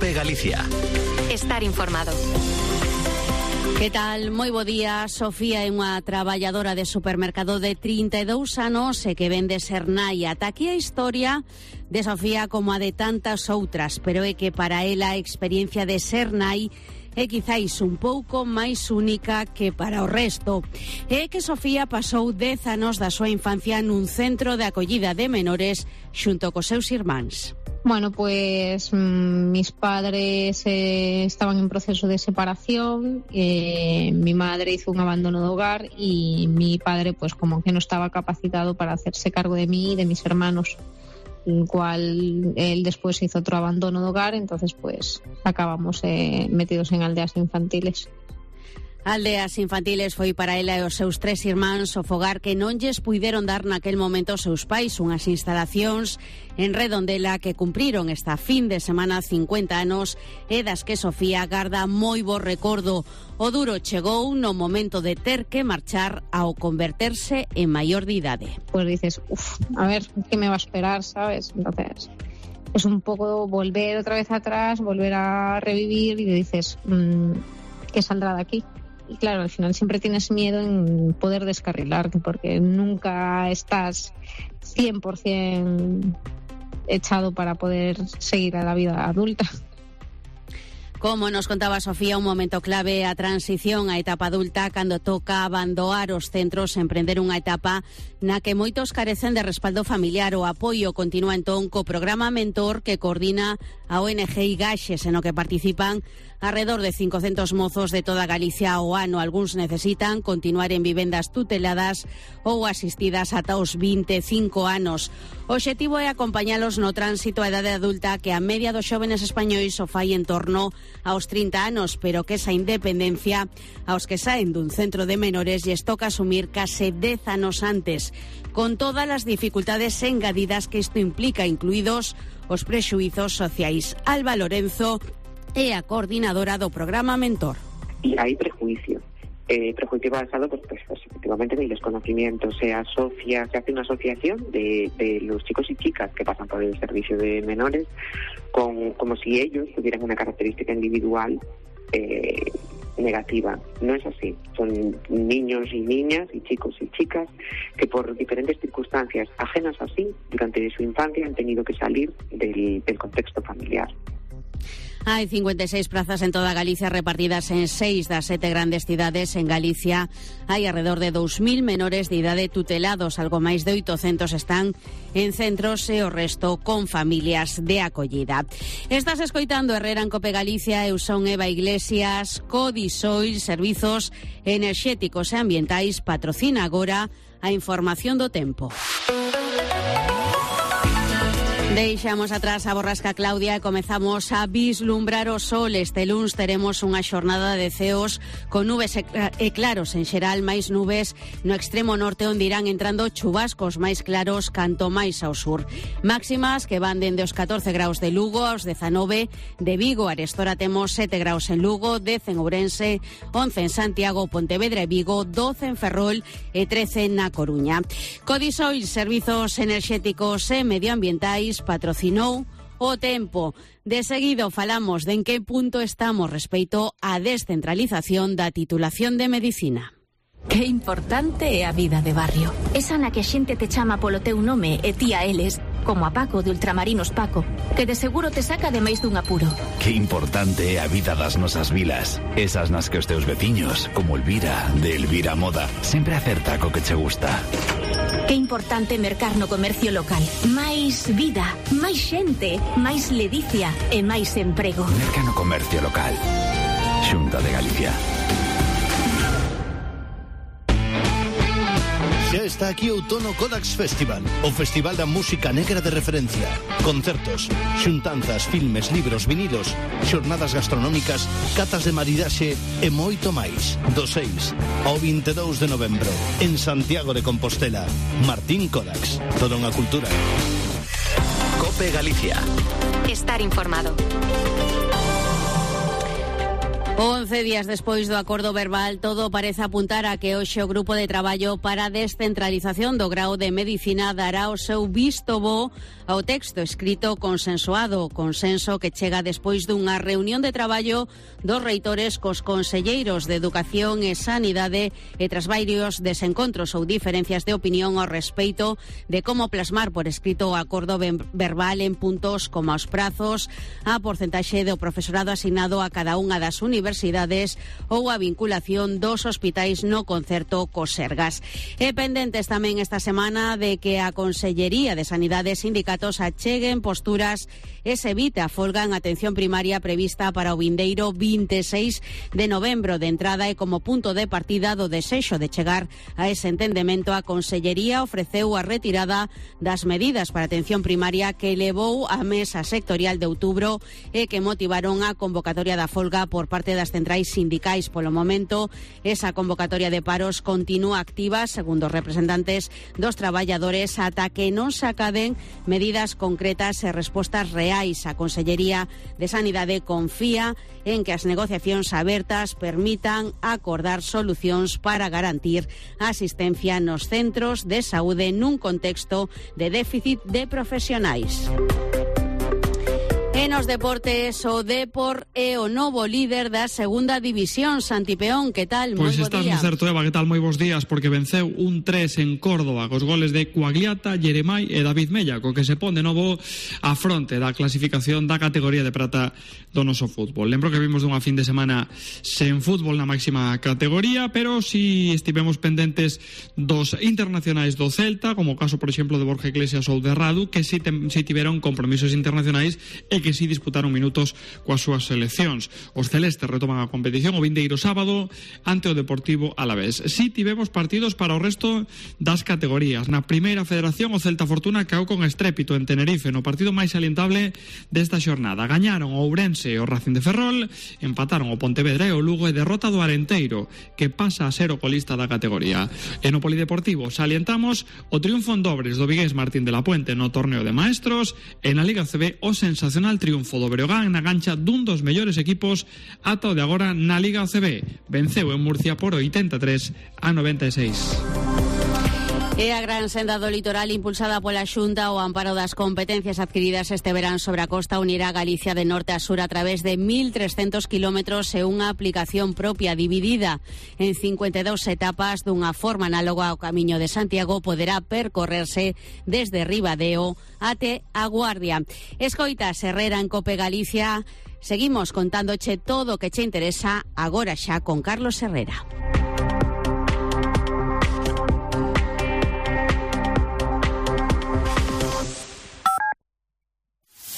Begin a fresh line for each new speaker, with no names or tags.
COPE Galicia.
Estar informado.
Que tal? Moi bo día. Sofía é unha traballadora de supermercado de 32 anos e que vende Sernai. Ata aquí a historia de Sofía como a de tantas outras, pero é que para ela a experiencia de Sernai é quizáis un pouco máis única que para o resto. É que Sofía pasou 10 anos da súa infancia nun centro de acollida de menores xunto cos seus irmáns.
Bueno, pues mis padres estaban en proceso de separación, mi madre hizo un abandono de hogar y mi padre pues como que no estaba capacitado para hacerse cargo de mí y de mis hermanos, el cual él después hizo otro abandono de hogar, entonces pues acabamos metidos en aldeas infantiles.
Aldeas infantiles foi para ela e os seus 3 irmáns o fogar que non lles puideron dar naquel momento os seus pais, unhas instalacións en Redondela que cumpriron esta fin de semana 50 anos e das que Sofía garda moi bo recordo. O duro chegou no momento de ter que marchar ao converterse en maior de idade.
Pues dices, a ver, ¿qué me va a esperar, sabes? Entonces es un poco volver otra vez atrás, volver a revivir y dices, ¿qué saldrá de aquí? Y claro, al final siempre tienes miedo en poder descarrilarte porque nunca estás 100% echado para poder seguir a la vida adulta.
Como nos contaba Sofía, un momento clave a transición á etapa adulta cando toca abandonar os centros e emprender unha etapa na que moitos carecen de respaldo familiar. O apoio continúa entón co programa Mentor que coordina a ONG Igaxes, en o que participan alrededor de 500 mozos de toda Galicia ao ano. Algúns necesitan continuar en vivendas tuteladas ou asistidas ata os 25 anos. O obxectivo é acompañalos no tránsito á idade adulta que a media dos xóvenes españois o fai en torno aos 30 anos, pero que esa independencia aos que saen dun centro de menores lles toca asumir case 10 anos antes, con todas as dificultades engadidas que isto implica, incluídos os prexuizos sociais. Alba Lorenzo é a coordinadora do programa Mentor.
Y hay prejuicio basado pues efectivamente en los conocimientos. Se hace una asociación de los chicos y chicas que pasan por el servicio de menores como si ellos tuvieran una característica individual negativa. No es así. Son niños y niñas y chicos y chicas que por diferentes circunstancias ajenas a sí durante su infancia han tenido que salir del contexto familiar.
Hai 56 prazas en toda Galicia repartidas en 6 das 7 grandes cidades. En Galicia hai alrededor de 2.000 menores de idade tutelados, algo máis de 800 están en centros e o resto con familias de acollida. Estás escoitando Herrera en COPE Galicia, eu son Eva Iglesias. Codisoil, servizos enerxéticos e ambientais, patrocina agora a información do tempo. Deixamos atrás a borrasca Claudia e comezamos a vislumbrar o sol. Este luns teremos unha xornada de ceos con nubes e claros en xeral, máis nubes no extremo norte onde irán entrando chubascos máis claros canto máis ao sur. Máximas que van dende os 14 graus de Lugo aos 19 de Vigo. Arestora temos 7 graus en Lugo, 10 en Ourense, 11 en Santiago, Pontevedra e Vigo, 12 en Ferrol e 13 na Coruña. Codisoil, servizos enerxéticos e medioambientais, patrocinou o tempo. De seguido falamos de en que punto estamos respecto á descentralización da titulación de medicina.
Que importante é a vida de barrio. Esa na que a xente te chama polo teu nome e ti a eles, como a Paco de Ultramarinos Paco, que de seguro te saca de máis dun apuro.
Que importante é a vida das nosas vilas. Esas nas que os teus veciños, como Elvira, de Elvira Moda, sempre acerta co que che gusta.
Que importante mercar no comercio local. Máis vida, máis xente, máis ledicia e máis emprego.
Merca no comercio local. Xunta de Galicia.
Xa está aquí o Outono Kodax Festival, o festival da música negra de referencia. Concertos, xuntanzas, filmes, libros, vinilos, xornadas gastronómicas, catas de maridaxe e moito máis. Do 6 ao 22 de novembro, en Santiago de Compostela. Martín Kodax, toda unha cultura.
COPE Galicia.
Estar informado.
11 días despois do acordo verbal, todo parece apuntar a que hoxe o Grupo de Traballo para a Descentralización do Grao de Medicina dará o seu visto bo ao texto escrito consensuado, consenso que chega despois dunha reunión de traballo dos reitores cos conselleiros de Educación e Sanidade e tras varios desencontros ou diferencias de opinión ao respeito de como plasmar por escrito o acordo verbal en puntos como os prazos, a porcentaxe do profesorado asignado a cada unha das universidades ou a vinculación dos hospitais no concerto cos Sergas. E pendentes tamén esta semana de que a Consellería de Sanidade e sindicatos acheguen posturas e se evite a folga en atención primaria prevista para o vindeiro 26 de novembro. De entrada e como punto de partida do desexo de chegar a ese entendemento, a Consellería ofreceu a retirada das medidas para atención primaria que levou a mesa sectorial de outubro e que motivaron a convocatoria da folga por parte das centrais sindicais. Polo momento, esa convocatoria de paros continúa activa, segundo os representantes dos traballadores, ata que non se acaden medidas concretas e respostas reais. A Consellería de Sanidade confía en que as negociacións abertas permitan acordar solucións para garantir a asistencia nos centros de saúde nun contexto de déficit de profesionais. En os deportes, o Depor é o novo líder da segunda división. Santi Peón, que tal?
Pois estás no certo, Eva, que tal? Moi bons días, porque venceu 1-3 en Córdoba cos goles de Coagliata, Jeremai e David Mella, co que se pon de novo a fronte da clasificación da categoría de prata do noso fútbol. Lembro que vimos dunha fin de semana sen fútbol na máxima categoría, pero si estivemos pendentes dos internacionais do Celta, como o caso, por exemplo, de Borja Iglesias ou de Radu, que si tiveron compromisos internacionais e que si disputaron minutos coas súas seleccións. Os celestes retoman a competición o vindeiro sábado ante o Deportivo Alavés. Si tivemos partidos para o resto das categorías. Na primeira federación, o Celta Fortuna caeu con estrépito en Tenerife no partido máis salientable desta xornada. Gañaron o Ourense e o Racing de Ferrol, empataron o Pontevedra e o Lugo e derrota do Arenteiro, que pasa a ser o colista da categoría. E no Polideportivo salientamos o triunfo en dobres do vigués Martín de la Puente no torneo de maestros, e na Liga CB o sensacional triunfo do Breogán na gancha dun dos mellores equipos ata o de agora na Liga CB. Venceu en Murcia por 83-96.
E a gran senda do litoral impulsada pola Xunta ao amparo das competencias adquiridas este verán sobre a costa unirá Galicia de norte a sur a través de 1.300 kilómetros e unha aplicación propia dividida en 52 etapas dunha forma análoga ao Camiño de Santiago. Poderá percorrerse desde Ribadeo até a Guardia. Escoitas Herrera en Cope Galicia. Seguimos contándoche todo o que che interesa agora xa con Carlos Herrera.